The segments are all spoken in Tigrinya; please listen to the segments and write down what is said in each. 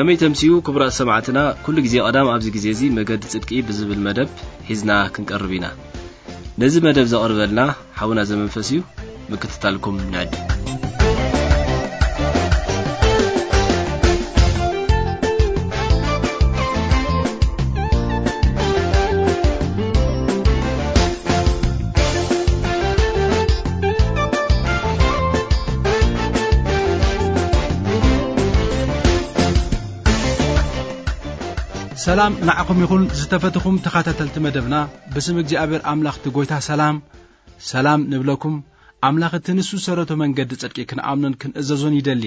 ከመይ ተምስዩ ክቡራት ሰማዕትና፣ ኩሉ ግዜ ቀዳም ኣብዚ ግዜ እዚ መገዲ ጽድቂ ብዝብል መደብ ሒዝና ክንቀርብ ኢና። ነዚ መደብ ዘቕርበልና ሓውና ዘመንፈስ እዩ። ምክትታልኩም ንዕድ። ሰላም ንዓኹም ይኹን ዝተፈትኹም ተኸታተልቲ መደብና። ብስም እግዚኣብሔር ኣምላኽ እቲ ጐይታ ሰላም፣ ሰላም ንብለኩም። ኣምላኽ እቲ ንሱ ዝሰረቶ መንገዲ ጽድቂ ክንኣምኖን ክንእዘዞን ይደሊ።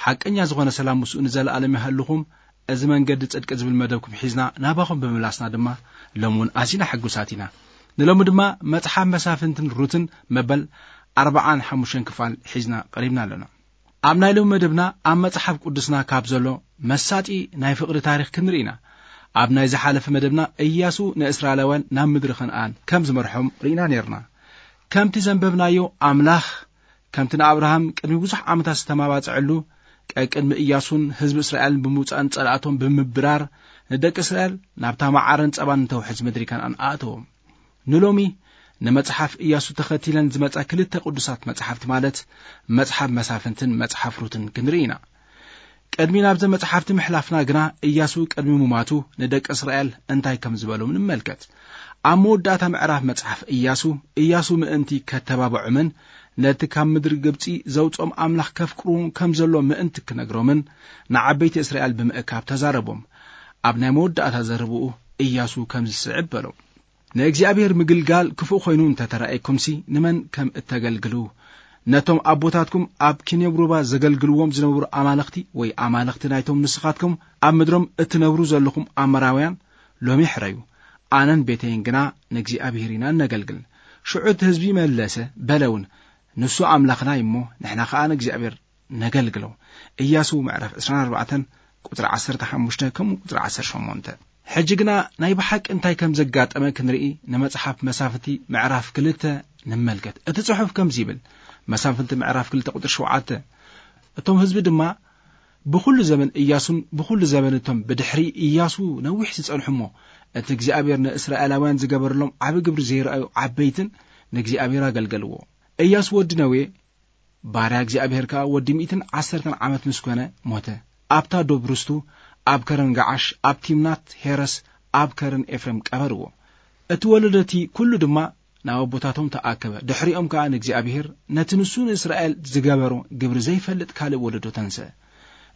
ሓቀኛ ዝኾነ ሰላም ምስኡ ንዘለኣለም ይሃልኹም። እዚ መንገዲ ጽድቂ ዝብል መደብኩም ሒዝና ናባኹም ብምምላስና ድማ ሎም እውን ኣዚና ሕጉሳት ኢና። ንሎሚ ድማ መጽሓፍ መሳፍንትን ሩትን መበል ኣርብዓን ሓሙሽተን ክፋል ሒዝና ቀሪብና ኣለና። ኣብ ናይ ሎሚ መደብና ኣብ መጽሓፍ ቅዱስና ካብ ዘሎ መሳጢ ናይ ፍቕሪ ታሪኽ ክንርኢ ኢና። ኣብ ናይ ዝሓለፈ መደብና እያሱ ንእስራኤላውያን ናብ ምድሪ ከነኣን ከም ዝመርሖም ርኢና ነርና። ከምቲ ዘንበብናዮ ኣምላኽ ከምቲ ንኣብርሃም ቅድሚ ብዙሕ ዓመታት ዝተማባጽዐሉ ቀቅድሚ እያሱን ህዝቢ እስራኤልን ብምውጻእን ጸላእቶም ብምብራር ንደቂ እስራኤል ናብታ መዓርን ጸባን ንተውሕዝ ምድሪ ከነኣን ኣእተዎም። ንሎሚ ንመጽሓፍ እያሱ ተኸቲለን ዝመጻ ክልተ ቅዱሳት መጽሓፍቲ ማለት መጽሓፍ መሳፍንትን መጽሓፍ ሩትን ክንርኢ ኢና። ቅድሚ ናብዘ መጽሓፍቲ ምሕላፍና ግና እያሱ ቅድሚ ሙማቱ ንደቂ እስራኤል እንታይ ከም ዝበሎም ንመልከት። ኣብ መወዳእታ ምዕራፍ መጽሓፍ እያሱ፣ እያሱ ምእንቲ ከተባብዖምን ነቲ ካብ ምድሪ ግብጺ ዘውጾም ኣምላኽ ከፍቅርዎም ከም ዘሎ ምእንቲ ክነግሮምን ንዓበይቲ እስራኤል ብምእካብ ተዛረቦም። ኣብ ናይ መወዳእታ ዘረብኡ እያሱ ከም ዝስዕብ በሎም። ንእግዚኣብሔር ምግልጋል ክፉእ ኮይኑ እንተተራእየኩምሲ ንመን ከም እተገልግሉ፣ ነቶም ኣቦታትኩም ኣብ ኪኔብ ሩባ ዘገልግልዎም ዝነበሩ ኣማልኽቲ ወይ ኣማልኽቲ ናይቶም ንስኻትኩም ኣብ ምድሮም እትነብሩ ዘለኹም ኣሞራውያን ሎሚ ሕረዩ። ኣነን ቤተይን ግና ንእግዚኣብሔር ኢና እነገልግል። ሽዑ እቲ ህዝቢ መለሰ፣ በለ እውን፣ ንሱ ኣምላኽና እዩ እሞ ንሕና ኸኣ ንእግዚኣብሔር ነገልግሎ። እያሱ ምዕራፍ ዕስራን ኣርባዕተን ቁጽሪ ዓሰርተ ሓሙሽተ ከምኡ ቁጽሪ ዓሰርተ ሸሞንተ። ሕጂ ግና ናይ ብሓቂ እንታይ ከም ዘጋጠመ ክንርኢ ንመጽሓፍ መሳፍንቲ ምዕራፍ ክልተ ንመልከት። እቲ ጽሑፍ ከምዚ ይብል፣ መሳፍንቲ ምዕራፍ ክልተ ቁጽሪ ሸውዓተ፣ እቶም ህዝቢ ድማ ብኹሉ ዘመን እያሱን ብኹሉ ዘመን እቶም ብድሕሪ እያሱ ነዊሕ ዝጸንሑ እሞ እቲ እግዚኣብሔር ንእስራኤላውያን ዝገበረሎም ዓቢ ግብሪ ዘይረኣዩ ዓበይትን ንእግዚኣብሔር ኣገልገልዎ። እያሱ ወዲ ነዌ ባርያ እግዚኣብሔር ከኣ ወዲ ሚእትን ዓሰርተን ዓመት ምስ ኮነ ሞተ። ኣብታ ዶብ ርስቱ ኣብ ከረን ገዓሽ፣ ኣብ ቲምናት ሄረስ፣ ኣብ ከረን ኤፍሬም ቀበርዎ። እቲ ወለዶ እቲ ኩሉ ድማ ናብ ኣቦታቶም ተኣከበ። ድሕሪኦም ከኣ ንእግዚኣብሔር ነቲ ንሱ ንእስራኤል ዝገበሮ ግብሪ ዘይፈልጥ ካልእ ወለዶ ተንስአ።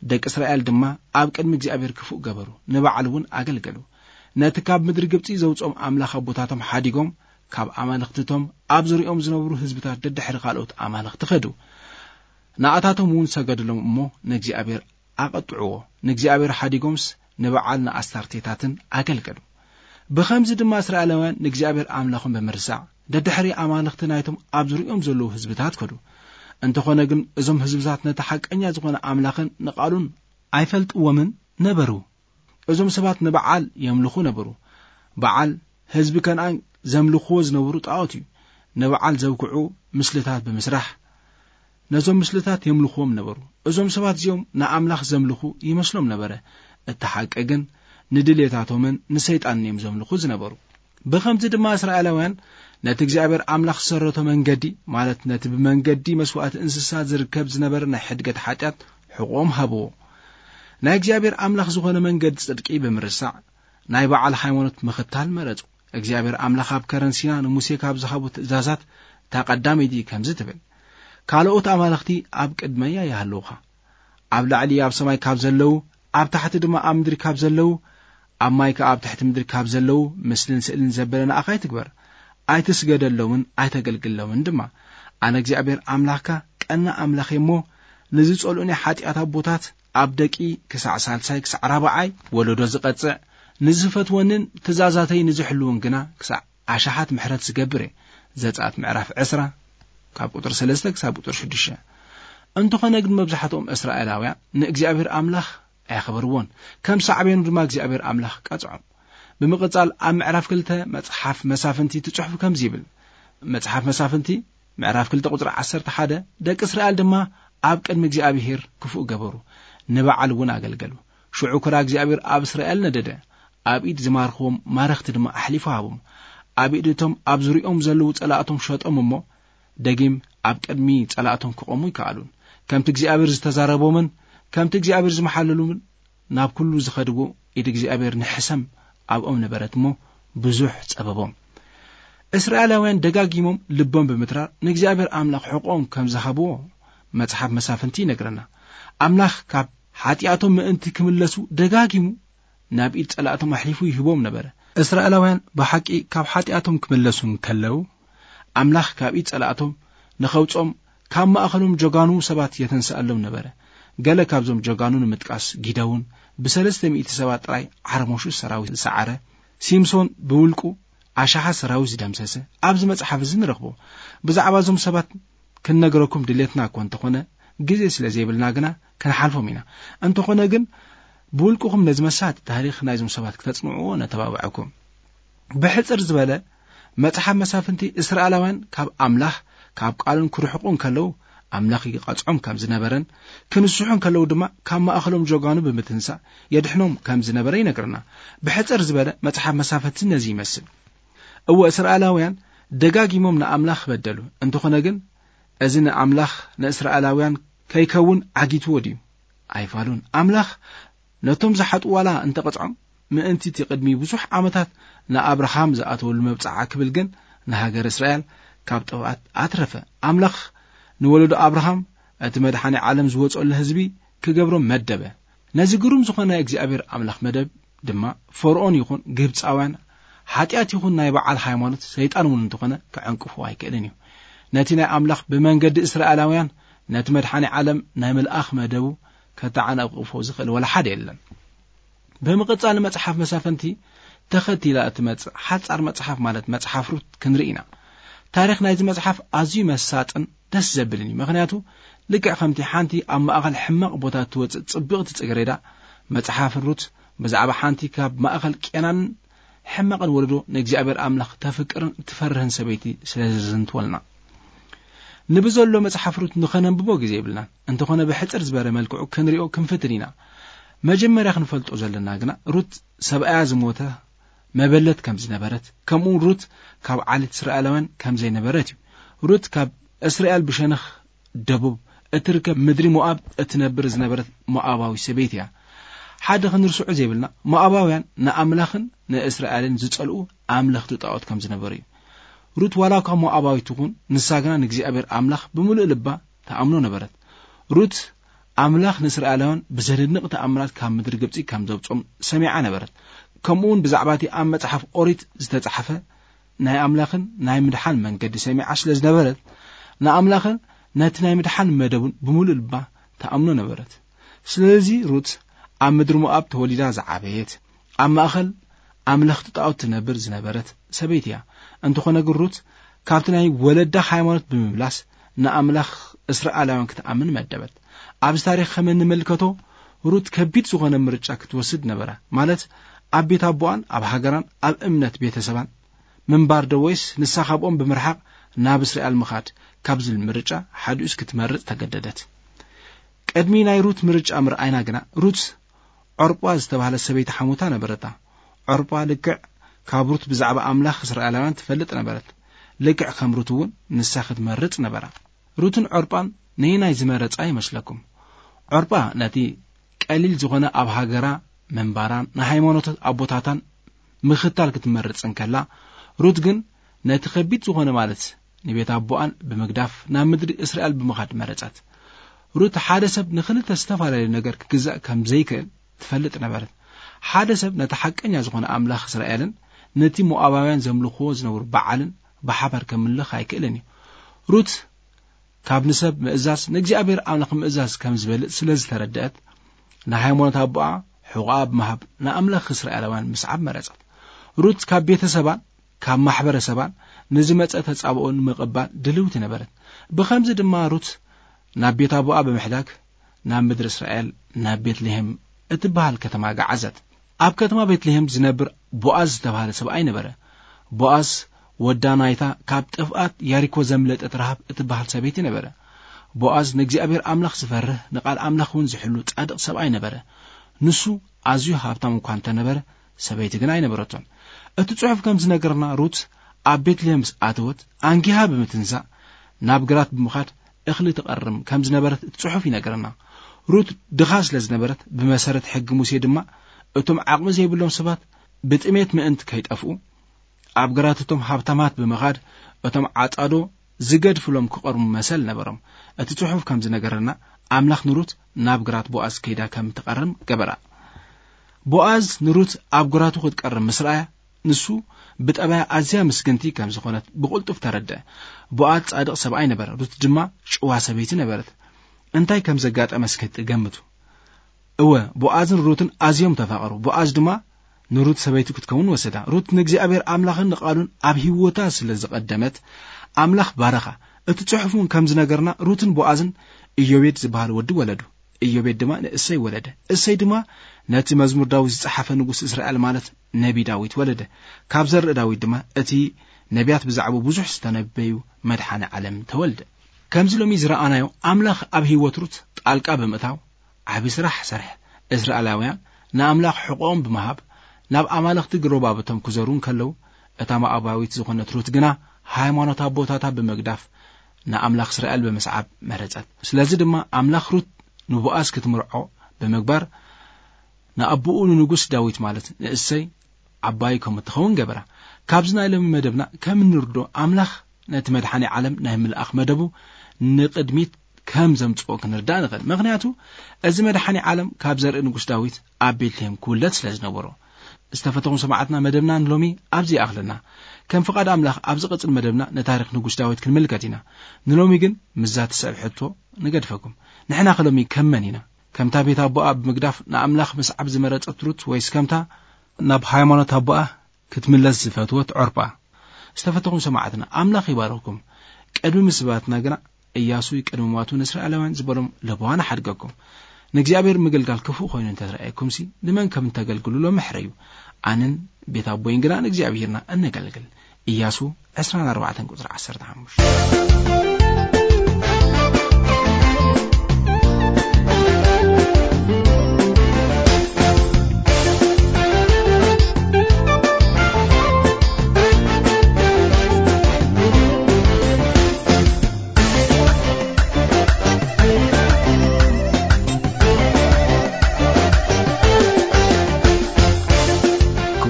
ደቂ እስራኤል ድማ ኣብ ቅድሚ እግዚኣብሔር ክፉእ ገበሩ፣ ንበዓል እውን ኣገልገሉ። ነቲ ካብ ምድሪ ግብጺ ዘውጽኦም ኣምላኽ ኣቦታቶም ሓዲጎም፣ ካብ ኣማልኽትቶም ኣብ ዙሪኦም ዝነብሩ ህዝብታት ደድሕሪ ካልኦት ኣማልኽቲ ኸዱ። ንኣታቶም እውን ሰገድሎም እሞ ንእግዚኣብሔር ኣቐጥዕዎ። ንእግዚኣብሔር ሓዲጎምስ ንበዓል ንኣስታርቴታትን ኣገልገሉ። ብኸምዚ ድማ እስራኤላውያን ንእግዚኣብሔር ኣምላኾም ብምርሳዕ፣ ደድሕሪ ኣማልኽቲ ናይቶም ኣብ ዙሪኦም ዘለዉ ህዝብታት ከዱ። እንተኾነ ግን እዞም ህዝብታት ነቲ ሓቀኛ ዝኾነ ኣምላኽን ንቓሉን ኣይፈልጥዎምን ነበሩ። እዞም ሰባት ንበዓል የምልኹ ነበሩ። በዓል ህዝቢ ከነኣን ዘምልኽዎ ዝነበሩ ጣዖት እዩ። ንበዓል ዘብክዑ ምስልታት ብምስራሕ ነዞም ምስልታት የምልኽዎም ነበሩ። እዞም ሰባት እዚኦም ንኣምላኽ ዘምልኹ ይመስሎም ነበረ። እቲ ሓቂ ግን ንድሌታቶምን ንሰይጣንን እዮም ዘምልኹ ዝነበሩ። ብኸምዚ ድማ እስራኤላውያን ነቲ እግዚኣብሔር ኣምላኽ ዝሰረቶ መንገዲ፣ ማለት ነቲ ብመንገዲ መስዋእቲ እንስሳ ዝርከብ ዝነበረ ናይ ሕድገት ሓጢኣት ሕቖኦም ሃብዎ። ናይ እግዚኣብሔር ኣምላኽ ዝኾነ መንገዲ ጽድቂ ብምርሳዕ፣ ናይ በዓል ሃይማኖት ምኽታል መረጹ። እግዚኣብሔር ኣምላኽ ኣብ ከረን ሲና ንሙሴ ካብ ዝሃቦ ትእዛዛት እታ ቀዳመይቲ ከምዚ ትብል፣ ካልኦት ኣማልኽቲ ኣብ ቅድመያ ይሃልውኻ። ኣብ ላዕሊ ኣብ ሰማይ ካብ ዘለዉ፣ ኣብ ታሕቲ ድማ ኣብ ምድሪ ካብ ዘለዉ፣ ኣብ ማይ ከኣ ኣብ ትሕቲ ምድሪ ካብ ዘለዉ ምስልን ስእልን ዘበለ ንኣኻ ኣይትግበር። ኣይትስገደሎምን ኣይተገልግሎምን ድማ። ኣነ እግዚኣብሔር ኣምላኽካ ቀና ኣምላኽ እየ እሞ፣ ንዝጸልኡኒ ሓጢኣት ኣቦታት ኣብ ደቂ ክሳዕ ሳልሳይ ክሳዕ ራብዓይ ወለዶ ዝቐጽዕ፣ ንዝፈትወንን ትእዛዛተይ ንዝሕልውን ግና ክሳዕ ኣሽሓት ምሕረት ዝገብር እየ። ዘጸኣት ምዕራፍ ዕስራ ካብ ቁጥሪ ሰለስተ ክሳብ ቁጥሪ ሽዱሽተ። እንተኾነ ግን መብዛሕትኦም እስራኤላውያን ንእግዚኣብሔር ኣምላኽ ኣየኽበርዎን፣ ከም ሳዕቤኑ ድማ እግዚኣብሔር ኣምላኽ ቀጽዖም። ብምቕጻል ኣብ ምዕራፍ ክልተ መጽሓፍ መሳፍንቲ እቲ ጽሑፍ ከምዚ ይብል። መጽሓፍ መሳፍንቲ ምዕራፍ ክልተ ቁጽሪ ዓሰርተ ሓደ፣ ደቂ እስራኤል ድማ ኣብ ቅድሚ እግዚኣብሔር ክፉእ ገበሩ፣ ንበዓል እውን ኣገልገሉ። ሽዑ ክራ እግዚኣብሔር ኣብ እስራኤል ነደደ። ኣብ ኢድ ዝማርኽዎም ማረኽቲ ድማ ኣሕሊፉ ሃቦም። ኣብ ኢድ እቶም ኣብ ዙሪኦም ዘለዉ ጸላእቶም ሸጦም እሞ፣ ደጊም ኣብ ቅድሚ ጸላእቶም ክቖሙ ይከኣሉን። ከምቲ እግዚኣብሔር ዝተዛረቦምን ከምቲ እግዚኣብሔር ዝመሓለሉምን ናብ ኩሉ ዝኸድዎ ኢድ እግዚኣብሔር ንሕሰም ኣብኦም ነበረት እሞ፣ ብዙሕ ጸበቦም። እስራኤላውያን ደጋጊሞም ልቦም ብምትራር ንእግዚኣብሔር ኣምላኽ ሕቖም ከም ዝሃብዎ መጽሓፍ መሳፍንቲ ይነግረና። ኣምላኽ ካብ ሓጢኣቶም ምእንቲ ክምለሱ ደጋጊሙ ናብ ኢድ ጸላእቶም ኣሕሊፉ ይህቦም ነበረ። እስራኤላውያን ብሓቂ ካብ ሓጢኣቶም ክምለሱ እንከለዉ፣ ኣምላኽ ካብ ኢድ ጸላእቶም ንኸውጾም ካብ ማእኸሎም ጀጋኑ ሰባት የተንስኣሎም ነበረ። ገለ ካብዞም ጀጋኑ ንምጥቃስ፣ ጊደውን ብሰለስተ ሚእቲ ሰባት ጥራይ ዓርሞሹ ሰራዊት ዝሰዓረ፣ ሲምሶን ብውልቁ ኣሽሓት ሰራዊት ዝደምሰሰ ኣብዚ መጽሓፍ እዚ ንረኽቦ። ብዛዕባ እዞም ሰባት ክንነግረኩም ድሌትና እኳ እንተኾነ፣ ግዜ ስለ ዘይብልና ግና ክንሓልፎም ኢና። እንተኾነ ግን ብውልቅኹም ነዚ መሳጢ ታሪኽ ናይዞም ሰባት ክተጽንዕዎ ነተባብዐኩም። ብሕጽር ዝበለ፣ መጽሓፍ መሳፍንቲ እስራኤላውያን ካብ ኣምላኽ ካብ ቃሉን ክርሕቁ እንከለዉ ኣምላኽ ይቐጽዖም ከም ዝነበረን ክንስሑ እንከለዉ ድማ ካብ ማእኸሎም ጀጋኑ ብምትንሳእ የድሕኖም ከም ዝነበረ ይነግርና። ብሕጽር ዝበለ መጽሓፍ መሳፍንቲ ነዚ ይመስል። እወ እስራኤላውያን ደጋጊሞም ንኣምላኽ በደሉ። እንተኾነ ግን እዚ ንኣምላኽ ንእስራኤላውያን ከይከውን ዓጊትዎ ድዩ? ኣይፋሉን። ኣምላኽ ነቶም ዝሓጡ ዋላ እንተቐጽዖም፣ ምእንቲ እቲ ቅድሚ ብዙሕ ዓመታት ንኣብርሃም ዝኣተወሉ መብጽዓ ክብል ግን ንሃገር እስራኤል ካብ ጥፍኣት ኣትረፈ። ኣምላኽ ንወለዶ ኣብርሃም እቲ መድሓኒ ዓለም ዝወጸሉ ህዝቢ ክገብሮም መደበ። ነዚ ግሩም ዝኾነ ናይ እግዚኣብሔር ኣምላኽ መደብ ድማ ፈርኦን ይኹን ግብጻውያን ሓጢኣት ይኹን ናይ በዓል ሃይማኖት ሰይጣን እውን እንተኾነ ክዕንቅፎ ኣይክእልን እዩ። ነቲ ናይ ኣምላኽ ብመንገዲ እስራኤላውያን ነቲ መድሓኒ ዓለም ናይ ምልኣኽ መደቡ ከተዓናቕፎ ዝኽእል ወላ ሓደ የለን። ብምቕጻል መጽሓፍ መሳፍንቲ ተኸቲላ እትመጽእ ሓጻር መጽሓፍ ማለት መጽሓፍ ሩት ክንርኢ ኢና። ታሪኽ ናይዚ መጽሓፍ ኣዝዩ መሳጥን ደስ ዘብልን እዩ። ምኽንያቱ ልክዕ ከምቲ ሓንቲ ኣብ ማእከል ሕማቕ ቦታ እትወጽእ ጽብቕቲ ጽጌረዳ፣ መጽሓፍ ሩት ብዛዕባ ሓንቲ ካብ ማእከል ቄናንን ሕማቕን ወለዶ ንእግዚኣብሔር ኣምላኽ ተፍቅርን ትፈርህን ሰበይቲ ስለ ዘዘንትወልና። ንብዘሎ መጽሓፍ ሩት ንኸነንብቦ ግዜ የብልናን። እንተኾነ ብሕጽር ዝበረ መልክዑ ክንሪኦ ክንፍትን ኢና። መጀመርያ ክንፈልጦ ዘለና ግና ሩት ሰብኣያ ዝሞተ መበለት ከም ዝነበረት፣ ከምኡውን ሩት ካብ ዓሌት እስራኤላውያን ከም ዘይነበረት እዩ። ሩት ካብ እስራኤል ብሸነኽ ደቡብ እትርከብ ምድሪ ሞኣብ እትነብር ዝነበረት ሞኣባዊ ሰበይቲ እያ። ሓደ ክንርስዑ ዘይብልና፣ ሞኣባውያን ንኣምላኽን ንእስራኤልን ዝጸልኡ ኣምለኽቲ ጣዖት ከም ዝነበሩ እዩ። ሩት ዋላ እኳ ሞኣባዊት ትኹን፣ ንሳ ግና ንእግዚኣብሔር ኣምላኽ ብምሉእ ልባ ተኣምኖ ነበረት። ሩት ኣምላኽ ንእስራኤላውያን ብዘደንቕ ተኣምራት ካብ ምድሪ ግብጺ ከም ዘውጾም ሰሚዓ ነበረት። ከምኡ እውን ብዛዕባ እቲ ኣብ መጽሓፍ ኦሪት ዝተጻሕፈ ናይ ኣምላኽን ናይ ምድሓን መንገዲ ሰሚዓ ስለ ዝነበረት፣ ንኣምላኽን ነቲ ናይ ምድሓን መደቡን ብምሉእ ልባ ተኣምኖ ነበረት። ስለዚ ሩት ኣብ ምድሪ ሞኣብ ተወሊዳ ዝዓበየት፣ ኣብ ማእከል ኣምለኽቲ ጣዖት ትነብር ዝነበረት ሰበይቲ እያ። እንተኾነ ግን ሩት ካብቲ ናይ ወለዳ ሃይማኖት ብምምላስ ንኣምላኽ እስራኤላውያን ክትኣምን መደበት። ኣብዚ ታሪኽ ከም እንምልከቶ ሩት ከቢድ ዝኾነ ምርጫ ክትወስድ ነበራ። ማለት ኣብ ቤት ኣቦኣን ኣብ ሃገራን ኣብ እምነት ቤተሰባን ምንባር ዶ ወይስ ንሳ ካብኦም ብምርሓቕ ናብ እስራኤል ምኻድ ካብ ዝብል ምርጫ ሓዲኡስ ክትመርጽ ተገደደት። ቅድሚ ናይ ሩት ምርጫ ምርኣይና ግና ሩት ዖርጳ ዝተባህለት ሰበይቲ ሓሙታ ነበረታ። ዖርጳ ልክዕ ካብ ሩት ብዛዕባ ኣምላኽ እስራኤላውያን ትፈልጥ ነበረት። ልክዕ ከም ሩት እውን ንሳ ክትመርጽ ነበራ። ሩትን ዖርጳን ነየናይ ዝመረጻ ይመስለኩም? ዖርጳ ነቲ ቀሊል ዝኾነ ኣብ ሃገራ ምንባራን ንሃይማኖት ኣቦታታን ምኽታል ክትመርጽ እንከላ፣ ሩት ግን ነቲ ከቢድ ዝኾነ ማለት ንቤት ኣቦኣን ብምግዳፍ ናብ ምድሪ እስራኤል ብምኻድ መረጸት። ሩት ሓደ ሰብ ንኽልተ ዝተፈላለዩ ነገር ክግዛእ ከም ዘይክእል ትፈልጥ ነበረት። ሓደ ሰብ ነቲ ሓቀኛ ዝኾነ ኣምላኽ እስራኤልን ነቲ ሞኣባውያን ዘምልኽዎ ዝነበሩ በዓልን ብሓባር ከምልኽ ኣይክእልን እዩ። ሩት ካብ ንሰብ ምእዛዝ ንእግዚኣብሔር ኣምላኽ ምእዛዝ ከም ዝበልጽ ስለ ዝተረድአት፣ ንሃይማኖት ኣቦኣ ሕቖኣ ብምሃብ ንኣምላኽ እስራኤላውያን ምስዓብ መረጸት። ሩት ካብ ቤተሰባን ካብ ማሕበረሰባን ንዝመጸ ተጻብኦ ንምቕባል ድልውቲ ነበረት። ብኸምዚ ድማ ሩት ናብ ቤት ኣቦኣ ብምሕዳግ ናብ ምድሪ እስራኤል ናብ ቤትልሄም እትበሃል ከተማ ገዓዘት። ኣብ ከተማ ቤትልሄም ዝነብር ቦኣዝ ዝተባህለ ሰብኣይ ነበረ። ቦኣዝ ወዳ ናይታ ካብ ጥፍኣት ያሪኮ ዘምለጠት ረሃብ እትበሃል ሰበይቲ ነበረ። ቦኣዝ ንእግዚኣብሔር ኣምላኽ ዝፈርህ ንቓል ኣምላኽ እውን ዝሕሉ ጻድቕ ሰብኣይ ነበረ። ንሱ ኣዝዩ ሃብታም እኳ እንተነበረ፣ ሰበይቲ ግን ኣይነበረቶን። እቲ ጽሑፍ ከም ዝነገርና፣ ሩት ኣብ ቤትልሔም ምስ ኣተወት፣ ኣንጊሃ ብምትንሳእ ናብ ግራት ብምኻድ እኽሊ ትቐርም ከም ዝነበረት እቲ ጽሑፍ ይነገርና። ሩት ድኻ ስለ ዝነበረት፣ ብመሰረት ሕጊ ሙሴ ድማ፣ እቶም ዓቕሚ ዘይብሎም ሰባት ብጥሜት ምእንቲ ከይጠፍኡ፣ ኣብ ግራት እቶም ሃብታማት ብምኻድ፣ እቶም ዓጻዶ ዝገድፍሎም ክቐርሙ መሰል ነበሮም። እቲ ጽሑፍ ከም ዝነገረና፣ ኣምላኽ ንሩት ናብ ግራት ቦኣዝ ከይዳ ከም ትቐርም ገበራ። ቦኣዝ ንሩት ኣብ ግራቱ ክትቀርም ምስ ረኣያ፣ ንሱ ብጠባያ ኣዝያ ምስግንቲ ከም ዝኾነት ብቕልጡፍ ተረድአ። ቦኣዝ ጻድቕ ሰብኣይ ነበረ፣ ሩት ድማ ጭዋ ሰበይቲ ነበረት። እንታይ ከም ዘጋጠመ እስከ ትገምቱ። እወ፣ ቦኣዝን ሩትን ኣዝዮም ተፋቐሩ። ቦኣዝ ድማ ንሩት ሰበይቱ ክትከውን ወሰዳ። ሩት ንእግዚኣብሔር ኣምላኽን ንቓሉን ኣብ ህይወታ ስለ ዝቐደመት፣ ኣምላኽ ባረኻ። እቲ ጽሑፍ እውን ከም ዝነገርና፣ ሩትን ቦኣዝን ኢዮቤድ ዝበሃል ወዲ ወለዱ። ኢዮቤድ ድማ ንእሰይ ወለደ። እሰይ ድማ ነቲ መዝሙር ዳዊት ዝጸሓፈ ንጉስ እስራኤል፣ ማለት ነቢ ዳዊት ወለደ። ካብ ዘርኢ ዳዊት ድማ እቲ ነቢያት ብዛዕባኡ ብዙሕ ዝተነበዩ መድሓኒ ዓለም ተወልደ። ከምዚ ሎሚ ዝረኣናዮ፣ ኣምላኽ ኣብ ህይወት ሩት ጣልቃ ብምእታው ዓቢ ስራሕ ሰርሐ። እስራኤላውያን ንኣምላኽ ሕቖኦም ብምሃብ ናብ ኣማልኽቲ ግሮባብቶም ክዘሩ እንከለዉ፣ እታ ሞኣባዊት ዝኾነት ሩት ግና ሃይማኖት ኣቦታታ ብምግዳፍ ንኣምላኽ እስራኤል ብምስዓብ መረጸት። ስለዚ ድማ ኣምላኽ ሩት ንቦኣዝ ክትምርዖ ብምግባር፣ ንኣቦኡ ንንጉስ ዳዊት፣ ማለት ንእሰይ ዓባይ ከም እትኸውን ገበራ። ካብዚ ናይ ሎሚ መደብና ከም እንርዶ፣ ኣምላኽ ነቲ መድሓኒ ዓለም ናይ ምልኣኽ መደቡ ንቕድሚት ከም ዘምጽኦ ክንርዳእ ንኽእል። ምኽንያቱ፣ እዚ መድሓኒ ዓለም ካብ ዘርኢ ንጉስ ዳዊት ኣብ ቤትልሔም ክውለድ ስለ ዝነበሮ። ዝተፈተኹም ሰማዕትና፣ መደብና ንሎሚ ኣብዚ ይኣኽለና። ከም ፍቓድ ኣምላኽ፣ ኣብ ዝቕጽል መደብና ንታሪኽ ንጉስ ዳዊት ክንምልከት ኢና። ንሎሚ ግን ምስዛ ትስዕብ ሕቶ ንገድፈኩም። ንሕና ከ ሎሚ ከም መን ኢና? ከምታ ቤት ኣቦኣ ብምግዳፍ ንኣምላኽ ምስዓብ ዝመረጸት ሩት፣ ወይስ ከምታ ናብ ሃይማኖት ኣቦኣ ክትምለስ ዝፈትወት ዖርጳ? ዝተፈተኹም ሰማዕትና፣ ኣምላኽ ይባርኽኩም። ቅድሚ ምስባትና ግና፣ እያሱ ቅድሚ ሟቱ ንእስራኤላውያን ዝበሎም ለበዋ ንሓድገኩም። ንእግዚኣብሔር ምግልጋል ክፉእ ኮይኑ እንተዝረኣየኩምሲ፣ ንመን ከም እተገልግሉ ሎሚ ሕረዩ። ኣነን ቤት ኣቦይን ግና ንእግዚኣብሔርና እነገልግል። እያሱ ዕስራን ኣርባዕተን ቁጽሪ ዓሰርተ ሓሙሽተ።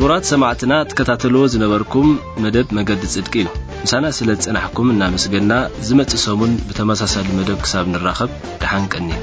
ክቡራት ሰማዕትና፣ ትከታተልዎ ዝነበርኩም መደብ መገዲ ጽድቂ እዩ። ምሳና ስለ ዝጸናሕኩም እናመስገና፣ ዝመጽእ ሰሙን ብተመሳሳሊ መደብ ክሳብ ንራኸብ፣ ደሓን ቀንዩ።